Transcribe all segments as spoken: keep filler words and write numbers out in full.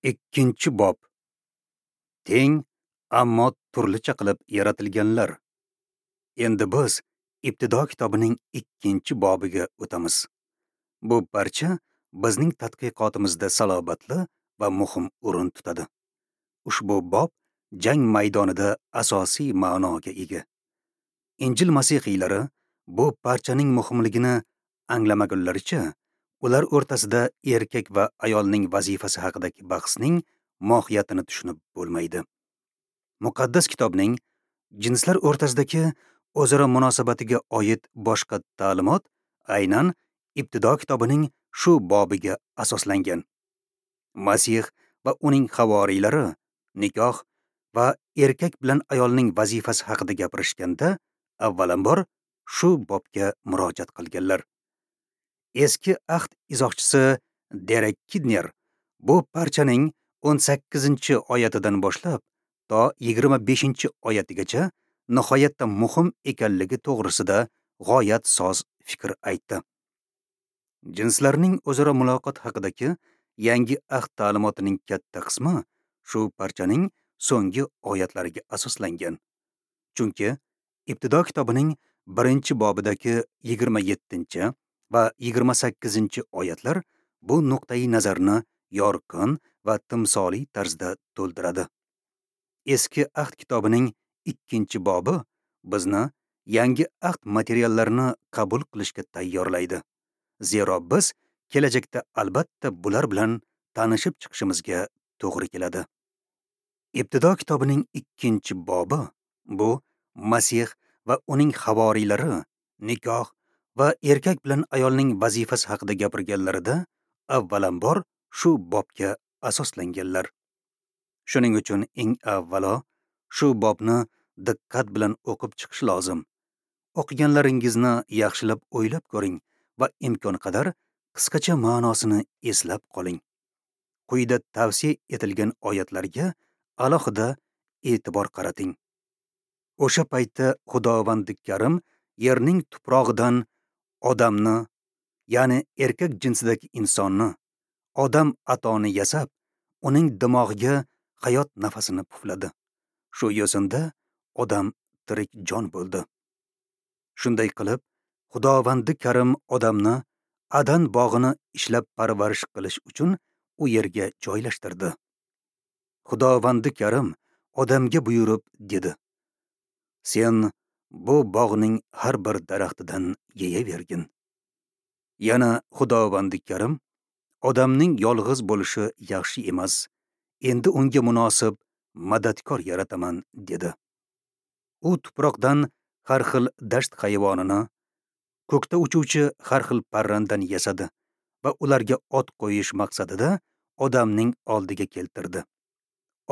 Ikkinchi bob. Teng, ammo turlicha qilib yaratilganlar. Endi biz Ibtido kitobining ikkinchi bobiga o'tamiz. Bu parcha bizning tadqiqotimizda salobatli va muhim o'rin tutadi. Ushbu bob jang maydonida asosiy ma'noga ega. Injil masihiylari bu parchaning muhimligini anglamagunlaricha, ular o'rtasida erkak va ayolning vazifasi haqidagi bahsning mohiyatini tushunib bo'lmaydi. Muqaddas kitobning jinslar o'rtasidagi o'zaro munosabatiga oid boshqa ta'limot aynan Ibtido kitobining shu bobiga asoslangan. Masih va uning havoriylari nikoh va erkak bilan ayolning vazifasi haqida gapirishganda avvalambor shu bobga murojaat qilganlar. Eski ahd izohchisi Derek Kidner bu parchaning o'n sakkizinchi oyatidan boshlab to yigirma beshinchi oyatigacha nihoyatda muhim ekanligi to'g'risida g'oyat soz fikr aytdi. Jinslarning o'zaro muloqot haqidagi yangi ahd ta'limotining katta qismi shu parchaning so'nggi oyatlariga asoslangan. Chunki Ibtido kitobining birinchi bobidagi yigirma yettinchi va yigirma sakkizinchi oyatlar bu nuqtai nazarni yorqin va timsoliy tarzda to'ldiradi. Eski ahd kitobining ikkinchi bobi bizni yangi ahd materiallarini qabul qilishga tayyorlaydi. Zero biz kelajakda albatta bular bilan tanishib chiqishimizga to'g'ri keladi. Ibtido kitobining ikkinchi bobi bu Masih va uning havoriylari nikoh va erkak bilan ayolning vazifasi haqida gapirganlarida avvalambor shu bobga asoslanganlar. Shuning uchun eng avvalo shu bobni diqqat bilan o'qib chiqish lozim. O'qiganlaringizni yaxshilab o'ylab ko'ring va imkon qadar qisqacha ma'nosini eslab qoling. Quyida tavsiya etilgan oyatlarga alohida e'tibor qarating. O'sha paytda Xudovandi Karim yerning tuprog'idan odamni, ya'ni erkak jinsidagi insonni, odam atoni yasab, uning dimog'iga hayot nafasini pufladi. Shu yo'sinda odam tirik jon bo'ldi. Shunday qilib, Xudovandi Karim odamni Adan bog'ini ishlab parvarish qilish uchun u yerga joylashtirdi. Xudovandi Karim odamga buyurib dedi: Sen bu bog'ning har bir daraxtidan yeyavergin. Yana Xudovandi Karim odamning yolg'iz bo'lishi yaxshi emas, endi unga munosib madadkor yarataman dedi. U tuproqdan har xil dasht hayvonini, ko'kda uchuvchi har xil parrandani yasadi va ularga ot qo'yish maqsadida odamning oldiga keltirdi.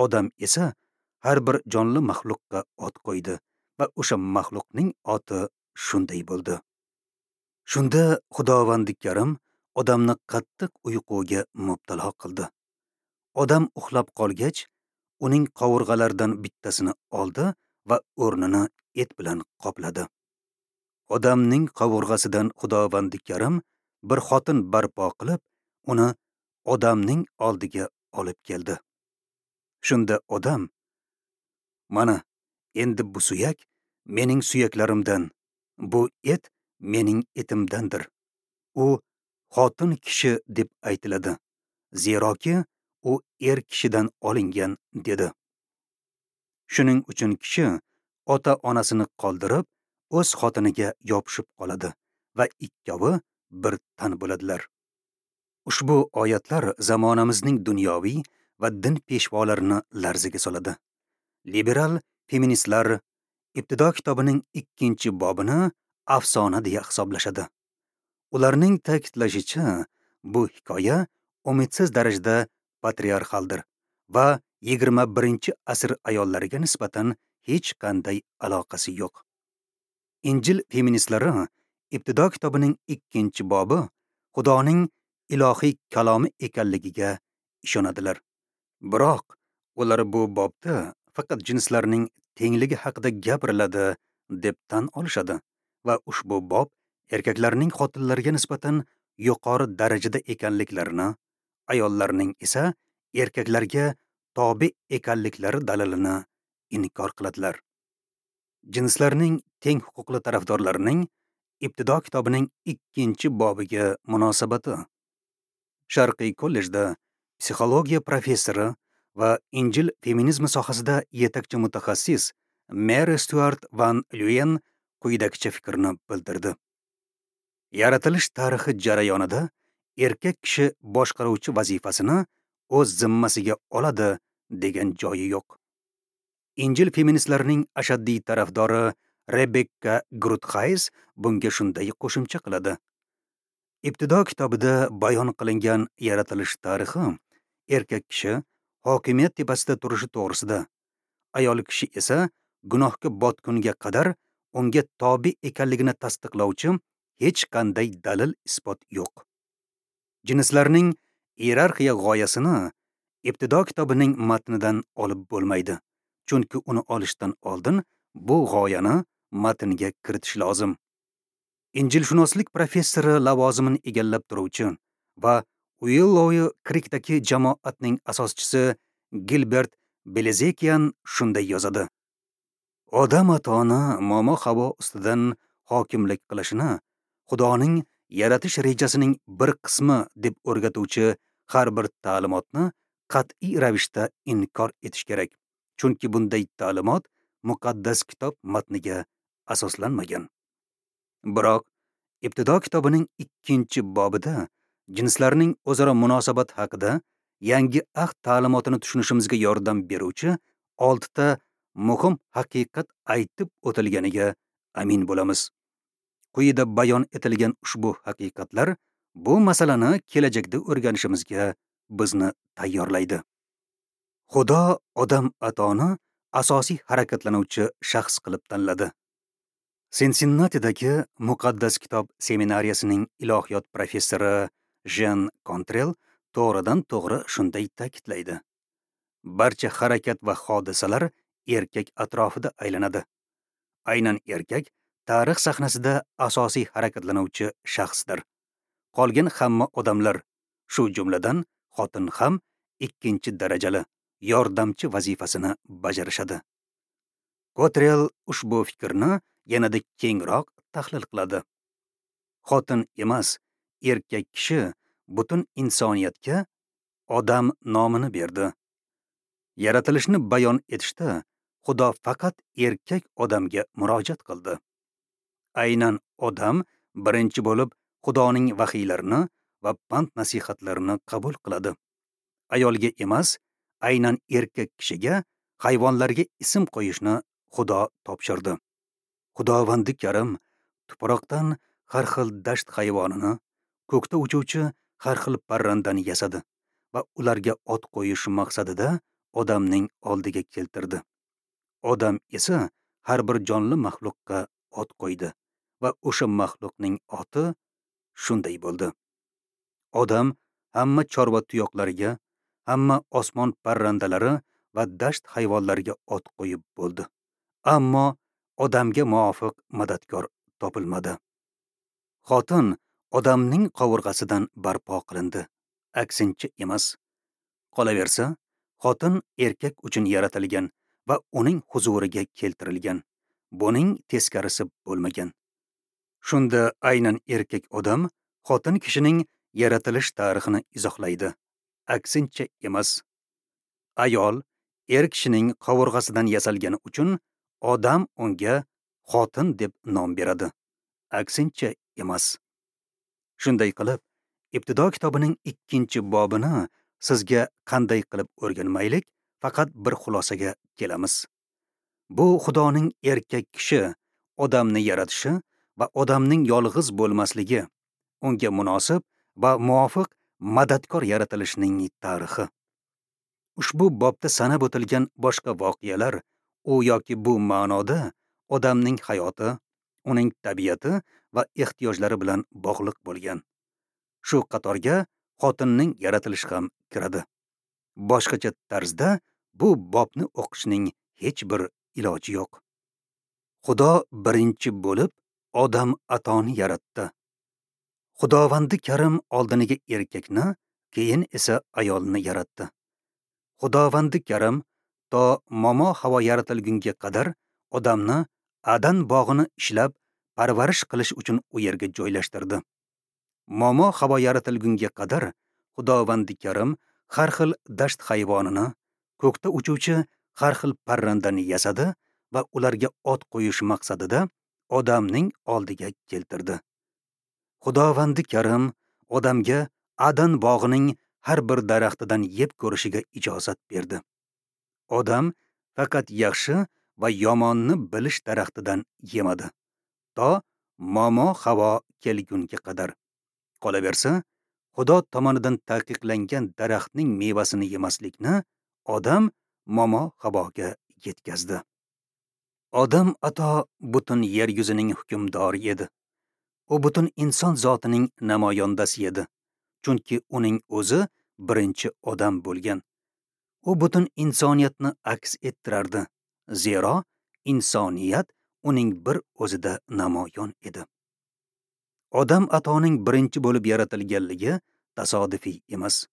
Odam esa har bir jonli maxluqqa ot qo'ydi va o'sha maxluqning oti shunday bo'ldi. Shunda Xudovandi Karim odamni qattiq uyquga mubtalo qildi. Odam uxlab qolgach, uning qovurg'alaridan bittasini oldi va o'rnini et bilan qopladi. Odamning qovurg'asidan Xudovandi Karim bir xotin barpo qilib, uni odamning oldiga olib keldi. Shunda odam: Mana endi bu suyak mening suyaklarimdan, bu et mening etimdandir. U xotin kishi deb aytiladi, zeroki u er kishidan olingan dedi. Shuning uchun kishi ota-onasini qoldirib, o'z xotiniga yopishib qoladi va ikkovi bir tan bo'ladilar. Ushbu oyatlar zamonamizning dunyoviy va din peshvolarini larzaga soladi. Liberal feministlar Ibtido kitobining ikkinchi bobini afsona deya hisoblashadi. Ularning ta'kidlashicha, bu hikoya umidsiz darajada patriarxaldir va yigirma birinchi asr ayollariga nisbatan hech qanday aloqasi yo'q. Injil feministlari Ibtido kitobining ikkinchi bobi Xudoning ilohiy kalomi ekanligiga ishonadilar. Biroq ular bu bobda faqat jinslarning tengligi haqida gapiriladi deb tan olishadi va ushbu bob erkaklarning xotinlarga nisbatan yuqori darajada ekanliklarini, ayollarning esa erkaklarga tobe ekanliklari dalilini inkor qiladilar. Jinslarning teng huquqli tarafdorlarining Ibtido kitobining ikkinchi bobiga munosabati. Sharqiy kollejda psixologiya professori va Injil feminizmi sohasida yetakchi mutaxassis Mary Stuart Van Leeuwen quyidagicha fikrni bildirdi. Yaratilish tarixi jarayonida erkak kishi boshqaruvchi vazifasini o'z zimmasiga oladi degan joyi yo'q. Injil feministlarining ashaddiy tarafdori Rebekka Gruthays bunga shunday qo'shimcha qiladi. Ibtido kitobida bayon qilingan yaratilish tarixi erkak kishi hokimiyat tepasida turishi to'g'risida, ayol kishi esa gunohga botgunga qadar unga tobe ekanligini tasdiqlovchi hech qanday dalil isbot yo'q. Jinslarning iyerarxiya g'oyasini Ibtido kitobining matnidan olib bo'lmaydi, chunki uni olishdan oldin bu g'oyani matnga kiritish lozim. Injilshunoslik professori lavozimini egallab turuvchi va Uillow Krikdagi jamoatning asoschisi Gilbert Bilezikian shunday yozadi: Odam atoni momo havo ustidan hokimlik qilishini Xudoning yaratish rejasining bir qismi deb o'rgatuvchi har bir ta'limotni qat'iy ravishda inkor etish kerak, chunki bunday ta'limot muqaddas kitob matniga asoslanmagan. Biroq Ibtido kitobining ikkinchi bobida jinslarning o'zaro munosabat haqida yangi ahd ta'limotini tushunishimizga yordam beruvchi oltita muhim haqiqat aytib o'tilganiga amin bo'lamiz. Quyida bayon etilgan ushbu haqiqatlar bu masalani kelajakda o'rganishimizga bizni tayyorlaydi. Xudo odam atoni asosiy harakatlanuvchi shaxs qilib tanladi. Sinsinnatidagi Muqaddas kitob seminariyasining ilohiyot professori Jean Kontrel to'g'ridan to'g'ri shunday ta'kidlaydi. Barcha harakat va hodisalar erkak atrofida aylanadi. Aynan erkak tarix sahnasida asosiy harakatlanuvchi shaxsdir. Qolgan hamma odamlar, shu jumladan xotin ham ikkinchi darajali yordamchi vazifasini bajarishadi. Kotrel ushbu fikrni yanada kengroq tahlil qiladi. Xotin emas, erkak kishi butun insoniyatga odam nomini berdi. Yaratilishni bayon etishda Xudo faqat erkak odamga murojaat qildi. Aynan odam birinchi bo'lib Xudoning vahiylarini va pand nasihatlarini qabul qiladi. Ayolga emas, aynan erkak kishiga hayvonlarga ism qo'yishni Xudo topshirdi. Xudovandi Karim tuproqdan har xil dasht hayvonini, ko'kda uchuvchi har xil parrandani yasadi va ularga ot qo'yish maqsadida odamning oldiga keltirdi. Odam esa har bir jonli maxluqqa ot qo'ydi va o'sha maxluqning oti shunday bo'ldi. Odam hamma chorva tuyoqlariga, hamma osmon parrandalari va dasht hayvonlariga ot qo'yib bo'ldi. Ammo odamga muvofiq madadkor topilmadi. Xotin odamning qovurg'asidan barpo qilindi, aksincha emas. Qolaversa, xotin erkak uchun yaratilgan va uning huzuriga keltirilgan. Buning teskarisi bo'lmagan. Shunda aynan erkak odam xotin kishining yaratilish tarixini izohlaydi, aksincha emas. Ayol er kishining qovurg'asidan yasalgani uchun odam unga xotin deb nom beradi, aksincha emas. Shunday qilib, Ibtido kitobining ikkinchi bobini sizga qanday qilib o'rganmaylik, faqat bir xulosaga kelamiz. Bu Xudoning erkak kishi odamni yaratishi va odamning yolg'iz bo'lmasligi, unga munosib va muvofiq madadkor yaratilishining tarixi. Ushbu bobda sanab o'tilgan boshqa voqealar u yoki bu ma'noda odamning hayoti, uning tabiati va ehtiyojlari bilan bog'liq bo'lgan. Shu qatorga xotinning yaratilishi ham kiradi. Boshqacha tarzda bu bobni o'qishning hech bir iloji yo'q. Xudo birinchi bo'lib odam atoni yaratdi. Xudovandi Karim oldiniga erkakni, keyin esa ayolni yaratdi. Xudovandi Karim to momo havo yaratilgunga qadar odamni Adan bog'ini ishlab parvarish qilish uchun u yerga joylashtirdi. Momo havo yaratilgunga qadar Xudovandi Karim har xil dasht hayvonini, ko'kda uchuvchi har xil parrandani yasadi va ularga ot qo'yish maqsadida odamning oldiga keltirdi. Xudovandi Karim odamga Adan bog'ining har bir daraxtidan yeb ko'rishiga ijozat berdi. Odam faqat yaxshi va yomonni bilish daraxtidan yemadi, to momo havo kelgunga qadar. Qolaversa, Xudo tomonidan taqiqlangan daraxtning mevasini yemaslikni odam momo havoga yetkazdi. Odam ato butun yer yuzining hukmdori edi. U butun inson zotining namoyandasi edi, chunki uning o'zi birinchi odam bo'lgan. U butun insoniyatni aks ettirardi, zero insoniyat uning bir o'zida namoyon edi. Odam atoning birinchi bo'lib yaratilganligi tasodifiy emas.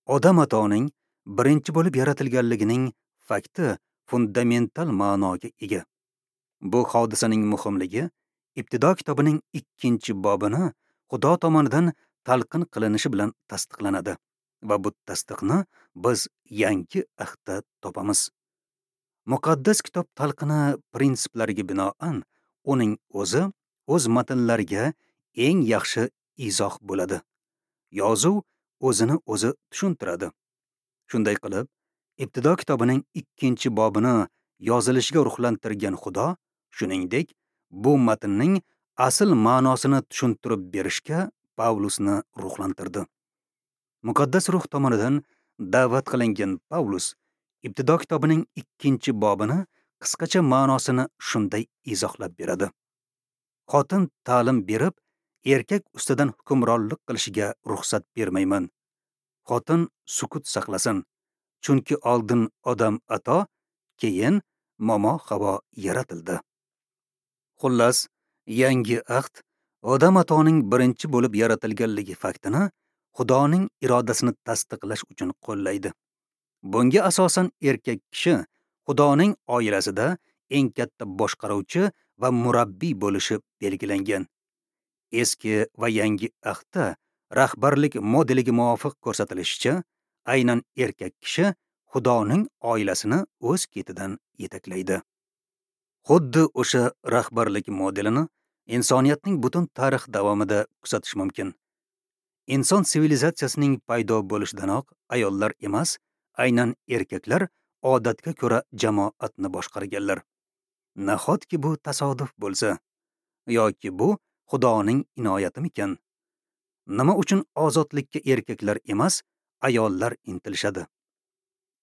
Odam atoning birinchi bo'lib yaratilganligining fakti fundamental ma'noga ega. Bu hodisaning muhimligi Ibtido kitobining ikkinchi bobini Xudo tomonidan talqin qilinishi bilan tasdiqlanadi va bu tasdiqni biz Yangi Ahdda topamiz. Muqaddas kitob talqini prinsiplariga binoan uning o'zi o'z matnlariga eng yaxshi izoh bo'ladi. Yozuv o'zini o'zi tushuntiradi. Shunday qilib, Ibtido kitobining ikkinchi bobini yozilishiga ruhlantirgan Xudo, shuningdek, bu matnning asl ma'nosini tushuntirib berishga Pavlusni ruhlantirdi. Muqaddas ruh tomonidan da'vat qilingan Pavlus Ibtido kitobining ikkinchi bobini qisqacha ma'nosini shunday izohlab beradi. Xotin ta'lim berib, erkak ustidan hukmronlik qilishiga ruxsat bermayman. Xotin sukut saqlasin, chunki oldin odam ato, keyin momo havo yaratildi. Xullas, Yangi Ahd odam atoning birinchi bo'lib yaratilganligi faktini Xudoning irodasini tasdiqlash uchun qo'llaydi. Bunga asosan erkak kishi Xudoning oilasida eng katta boshqaruvchi va murabbiy bo'lishi belgilangan. Eski va Yangi Ahdda rahbarlik modeliga muvofiq ko'rsatilishicha, aynan erkak kishi Xudoning oilasini o'z ketidan yetaklaydi. Xuddi o'sha rahbarlik modelini insoniyatning butun tarix davomida kuzatish mumkin. Inson sivilizatsiyasining paydo bo'lishidanoq ayollar emas, aynan erkaklar odatga ko'ra jamoatni boshqarganlar. Nahotki bu tasodif bo'lsa, yoki bu Xudoning inoyatimikan? Nima uchun ozodlikka erkaklar emas, ayollar intilishadi?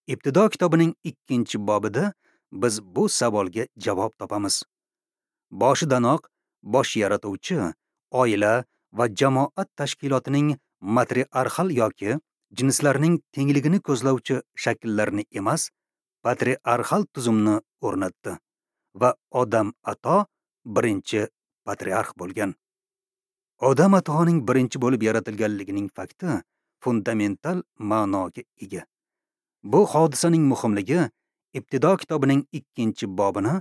Ibtido kitobining ikkinchi bobida biz bu savolga javob topamiz. Boshidanoq bosh yaratuvchi oila va jamoat tashkilotining matriarxal yoki jinslarning tengligini ko'zlovchi shakllarini emas, patriarxal tuzumni o'rnatdi va Odam ato birinchi patriarx bo'lgan. Odam atoning birinchi bo'lib yaratilganligining fakti fundamental ma'noga ega. Bu hodisaning muhimligi Ibtido kitobining ikkinchi bobini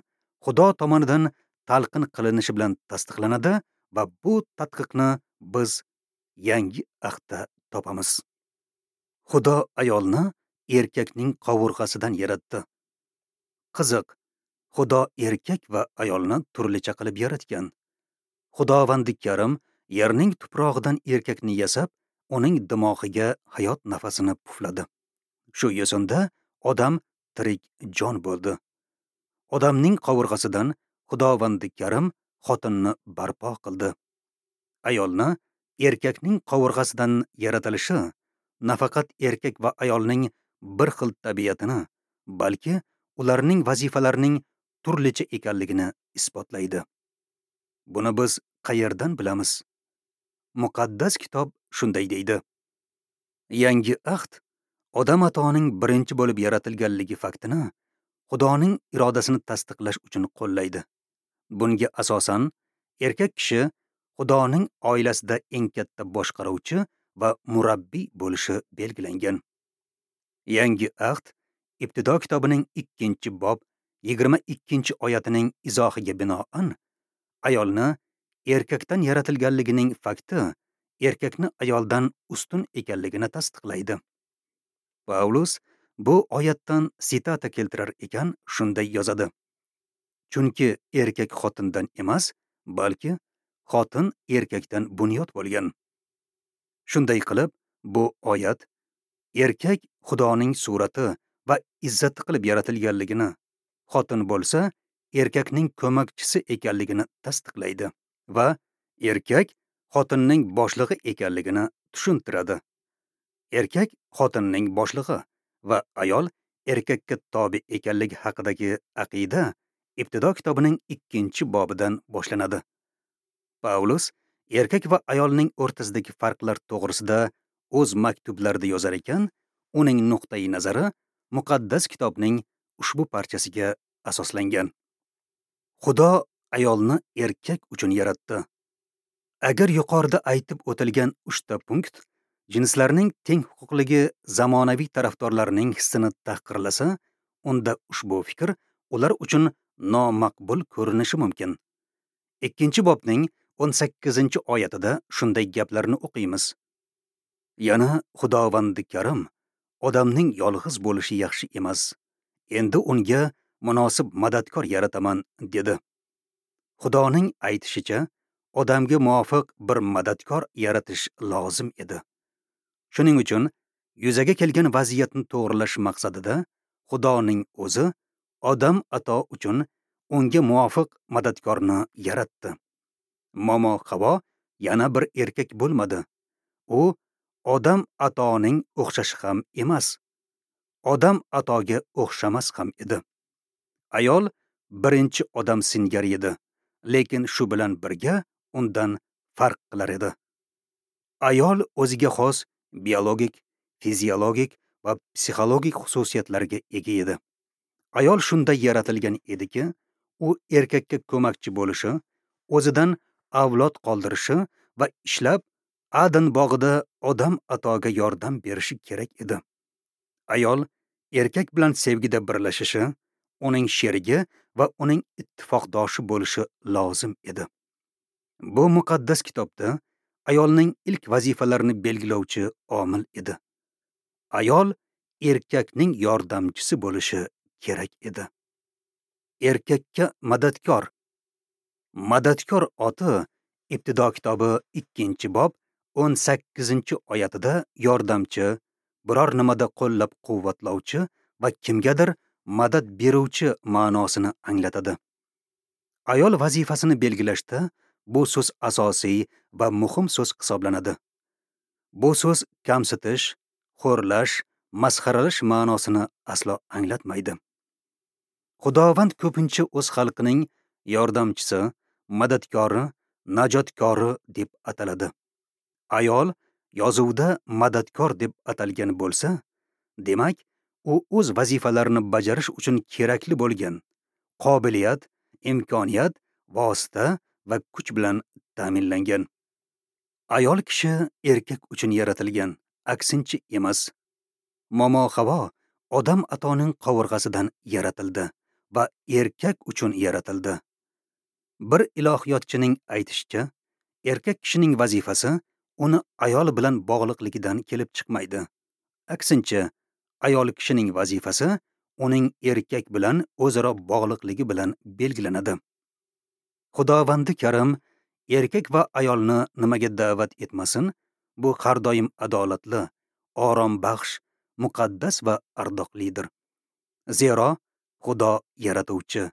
Xudo tomonidan talqin qilinishi bilan tasdiqlanadi va bu tadqiqni biz Yangi Ahdda topamiz. Xudo ayolni erkakning qovurg'asidan yaratdi. Qiziq, Xudo erkak va ayolni turlicha qilib yaratgan. Xudovandi Karim yerning tuprog'idan erkakni yasab, uning dimog'iga hayot nafasini pufladi. Shu yo'sinda odam tirik jon bo'ldi. Odamning qovurg'asidan Xudovandi Karim xotinni barpo qildi. Ayolni erkakning qovurg'asidan yaratilishi nafaqat erkak va ayolning bir xil tabiatini, balki ularning vazifalarining turlicha ekanligini isbotlaydi. Buni biz qayerdan bilamiz? Muqaddas kitob shunday deydi. Yangi Ahd Odam atoning birinchi bo'lib yaratilganligi faktini Xudoning irodasini tasdiqlash uchun qo'llaydi. Bunga asosan erkak kishi Xudoning oilasida eng katta boshqaruvchi va murabbiy bo'lishi belgilangan. Yangi ahd Ibtido kitobining ikkinchi bob yigirma ikkinchi oyatining izohiga binoan ayolni erkakdan yaratilganligining fakti erkakni ayoldan ustun ekanligini tasdiqlaydi. Pavlus bu oyatdan sitata keltirar ekan, shunday yozadi: Chunki erkak xotindan emas, balki xotin erkakdan bunyod bo'lgan. Shunday qilib, bu oyat erkak Xudoning surati va izzati qilib yaratilganligini, xotin bo'lsa erkakning ko'makchisi ekanligini tasdiqlaydi va erkak xotinning boshlig'i ekanligini tushuntiradi. Erkak xotinning boshlig'i va ayol erkakka tobe ekanligi haqidagi aqida Ibtido kitobining ikkinchi bobidan boshlanadi. Pavlus erkak va ayolning o'rtasidagi farqlar to'g'risida o'z maktublarida yozar ekan, uning nuqtai nazari muqaddas kitobning ushbu parchasiga asoslangan. Xudo ayolni erkak uchun yaratdi. Agar yuqorida aytib o'tilgan uchta punkt jinslarning teng huquqligi zamonaviy tarafdorlarning hissini tahqirlasa, unda ushbu fikr ular uchun nomaqbul ko'rinishi mumkin. Ikkinchi bobning o'n sakkizinchi oyatida shunday gaplarni o'qiymiz: Yana Xudovandi Karim odamning yolg'iz bo'lishi yaxshi emas. Endi unga munosib madadkor yarataman, dedi. Xudoning aytishicha, odamga muvofiq bir madadkor yaratish lozim edi. Shuning uchun yuzaga kelgan vaziyatni to'g'rilash maqsadida Xudoning o'zi odam ato uchun unga muvofiq madadkorni yaratdi. Momo Havo yana bir erkak bo'lmadi. U odam atoning o'xshashi ham emas. Odam atoga o'xshamas ham edi. Ayol birinchi odam singari edi, lekin shu bilan birga undan farq qilar edi. Ayol o'ziga xos biologik, fiziologik va psixologik xususiyatlarga ega edi. Ayol shunday yaratilgan ediki, u erkakka ko'makchi bo'lishi, o'zidan avlod qoldirishi va ishlab Adan bog'ida odam atoga yordam berishi kerak edi. Ayol erkak bilan sevgida birlashishi, uning sherigi va uning ittifoqdoshi bo'lishi lozim edi. Bu muqaddas kitobda ayolning ilk vazifalarini belgilovchi omil edi. Ayol erkakning yordamchisi bo'lishi kerak edi. Erkakka madadkor. Madadkor oti Ibtido kitobi ikkinchi bob o'n sakkizinchi oyatida yordamchi, biror nimada qo'llab-quvvatlovchi va kimgadir madad beruvchi ma'nosini anglatadi. Ayol vazifasini belgilashda bu so'z asosiy va muhim so'z hisoblanadi. Bu so'z kamsitish, xo'rlash, masxaralash ma'nosini aslo anglatmaydi. Xudovand ko'pincha o'z xalqining yordamchisi, madadkori, najotkori deb ataladi. Ayol yozuvda madadkor deb atalgan bo'lsa, demak, u o'z vazifalarini bajarish uchun kerakli bo'lgan qobiliyat, imkoniyat, vosita va kuch bilan ta'minlangan. Ayol kishi erkak uchun yaratilgan, aksincha emas. Momo Havo odam atoning qovurg'asidan yaratildi va erkak uchun yaratildi. Bir ilohiyotchining aytishicha, erkak kishining vazifasi uni ayol bilan bog'liqligidan kelib chiqmaydi. Aksincha, ayol kishining vazifasi uning erkak bilan o'zaro bog'liqligi bilan belgilanadi. Xudovandi Karim erkak va ayolni nimaga da'vat etmasin, bu har doim adolatli, orombaxsh, muqaddas va ardoqlidir. Zero Xudo yaratuvchi,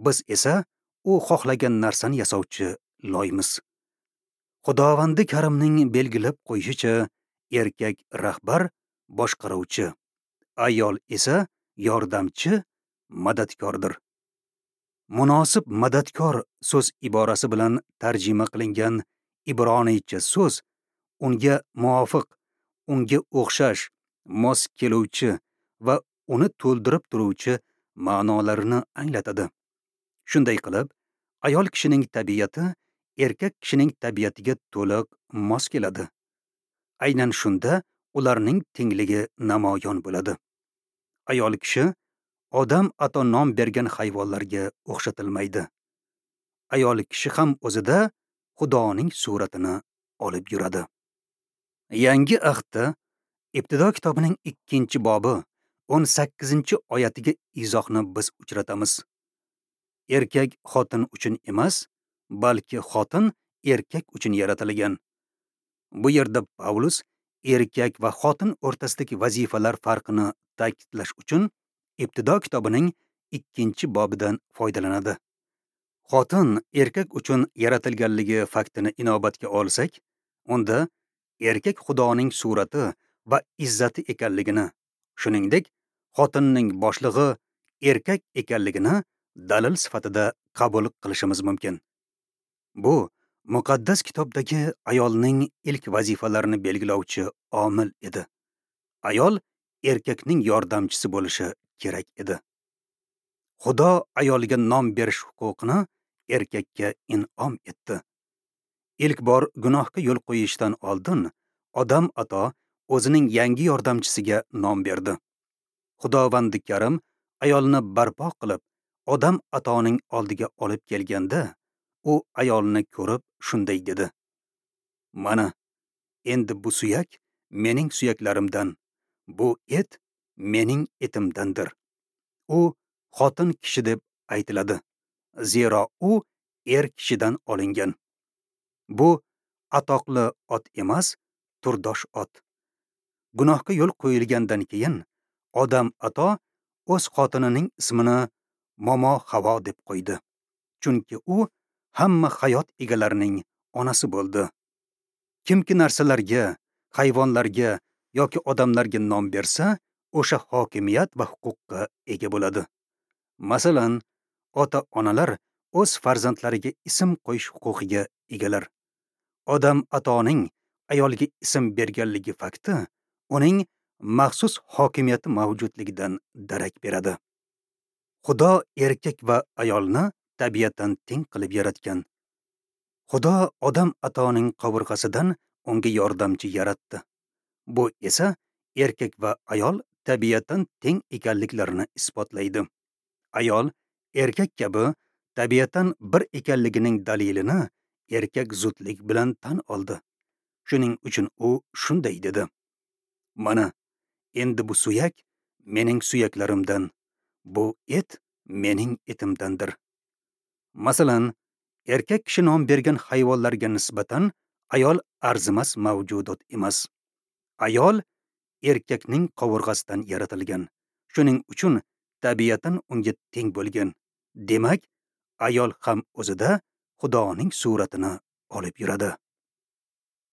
biz esa u xohlagan narsani yasovchi loymiz. Xudovandi Karimning belgilab qo'yishicha, erkak rahbar, boshqaruvchi, ayol esa yordamchi, madadkordir. Munosib madadkor so'z iborasi bilan tarjima qilingan ibroniycha so'z unga muvofiq, unga o'xshash, mos keluvchi va uni to'ldirib turuvchi ma'nolarini anglatadi. Shunday qilib, ayol kishining tabiati erkak kishining tabiatiga to'liq mos keladi. Aynan shunda ularning tengligi namoyon bo'ladi. Ayol kishi odam ato nom bergan hayvonlarga o'xshatilmaydi. Ayol kishi ham o'zida Xudoning suratini olib yuradi. Yangi ahdda Ibtido kitobining ikkinchi bobi o'n sakkizinchi oyatiga izohni biz uchratamiz. Erkak xotin uchun emas, balki xotin erkak uchun yaratilgan. Bu yerda Pavlus erkak va xotin o'rtasidagi vazifalar farqini ta'kidlash uchun Ibtido kitobining ikkinchi bobidan foydalanadi. Xotin erkak uchun yaratilganligi faktini inobatga olsak, unda erkak Xudoning surati va izzati ekanligini, shuningdek, xotinning boshlig'i erkak ekanligini dalil sifatida qabul qilishimiz mumkin. Bu muqaddas kitobdagi ayolning ilk vazifalarini belgilovchi omil edi. Ayol erkakning yordamchisi bo'lishi kerak edi. Xudo ayolga nom berish huquqini erkakka in'om etdi. Ilk bor gunohga yo'l qo'yishdan oldin Odam ato o'zining yangi yordamchisiga nom berdi. Xudovandi Karim ayolni barpo qilib, Odam atoning oldiga olib kelganda, u ayolni ko'rib shunday dedi: Mana, endi bu suyak mening suyaklarimdan, bu et mening etimdandir. U xotin kishi deb aytiladi, zero u er kishidan olingan. Bu atoqli ot emas, turdosh ot. Gunohga yo'l qo'yilgandan keyin Odam ato o'z xotinining ismini Momo Havo deb qo'ydi. Chunki u hamma hayot egalarining onasi bo'ldi. Kimki narsalarga, hayvonlarga yoki odamlarga nom bersa, o'sha hokimiyat va huquqqa ega bo'ladi. Masalan, ota-onalar o'z farzandlariga ism qo'yish huquqiga egalar. Odam atoning ayolga ism berganligi fakti uning maxsus hokimiyati mavjudligidan darak beradi. Xudo erkak va ayolni tabiatan teng qilib yaratgan. Xudo Odam atoning qovurg'asidan unga yordamchi yaratdi. Bu esa erkak va ayol tabiatan teng ekanliklarini isbotlaydi. Ayol erkak kabi tabiatan bir ekanligining dalilini erkak zudlik bilan tan oldi. Shuning uchun u shunday dedi: Mana, endi bu suyak mening suyaklarimdan, bu et mening etimdandir. Masalan, erkak kishi nom bergan hayvonlarga nisbatan ayol arzimas mavjudot emas. Ayol erkakning qovurg'asidan yaratilgan. Shuning uchun tabiatan unga teng bo'lgan. Demak, ayol ham o'zida Xudoning suratini olib yuradi.